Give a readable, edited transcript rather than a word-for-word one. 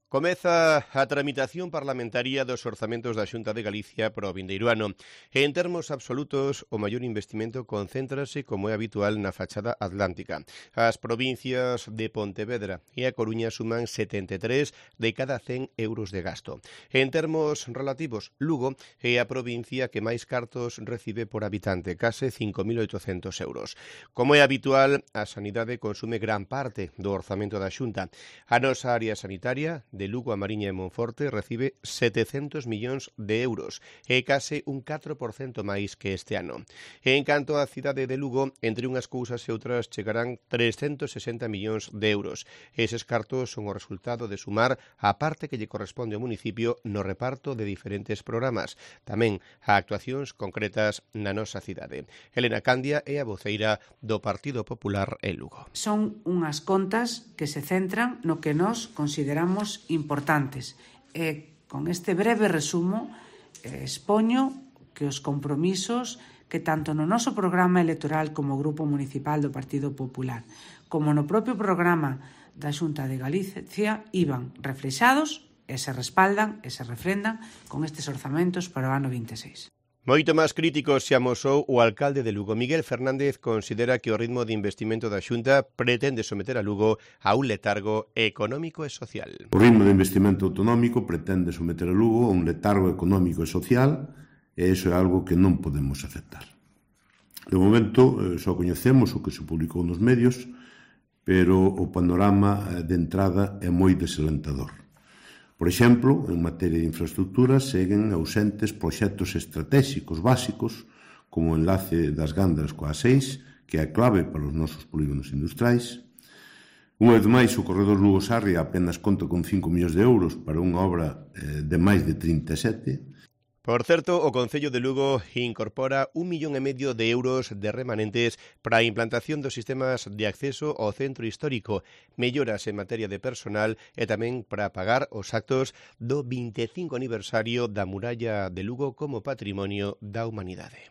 Comeza a tramitación parlamentaria dos orzamentos da Xunta de Galicia para o vindeiro ano. En termos absolutos, o maior investimento concéntrase, como é habitual, na fachada atlántica. As provincias de Pontevedra e A Coruña suman 73 de cada 100 euros de gasto. En termos relativos, Lugo é a provincia que máis cartos recibe por habitante, case 5.800 euros. Como é habitual, a sanidade consume gran parte do orzamento da Xunta. A nosa área sanitaria de Lugo, a Mariña e Monforte recibe 700 millóns de euros, e case un 4% máis que este ano. En canto á cidade de Lugo, entre unhas cousas e outras chegarán 360 millóns de euros. Eses cartos son o resultado de sumar a parte que lle corresponde ao municipio no reparto de diferentes programas, tamén a actuacións concretas na nosa cidade. Elena Candia é a voceira do Partido Popular en Lugo. Son unhas contas que se centran no que nós consideramos importantes. E con este breve resumo expoño que os compromisos que tanto no noso programa electoral como Grupo Municipal do Partido Popular como no propio programa da Xunta de Galicia iban reflexados e se respaldan e se refrendan con estes orzamentos para o ano 26. Moito máis crítico se amosou o alcalde de Lugo. Miguel Fernández considera que o ritmo de investimento da Xunta pretende someter a Lugo a un letargo económico e social. O ritmo de investimento autonómico pretende someter a Lugo a un letargo económico e social, e iso é algo que non podemos aceptar. De momento, só coñecemos o que se publicou nos medios, pero o panorama de entrada é moi desalentador. Por exemplo, en materia de infraestructuras seguen ausentes proxectos estratégicos básicos como o enlace das Gándaras coa A6, que é a clave para os nosos polígonos industriais. Unha vez máis, o corredor Lugo-Sarria apenas conta con 5 millóns de euros para unha obra de máis de 37. Por certo, o Concello de Lugo incorpora 1,5 millón de euros de remanentes para a implantación dos sistemas de acceso ao centro histórico, melloras en materia de personal e tamén para pagar os actos do 25 aniversario da muralla de Lugo como patrimonio da humanidade.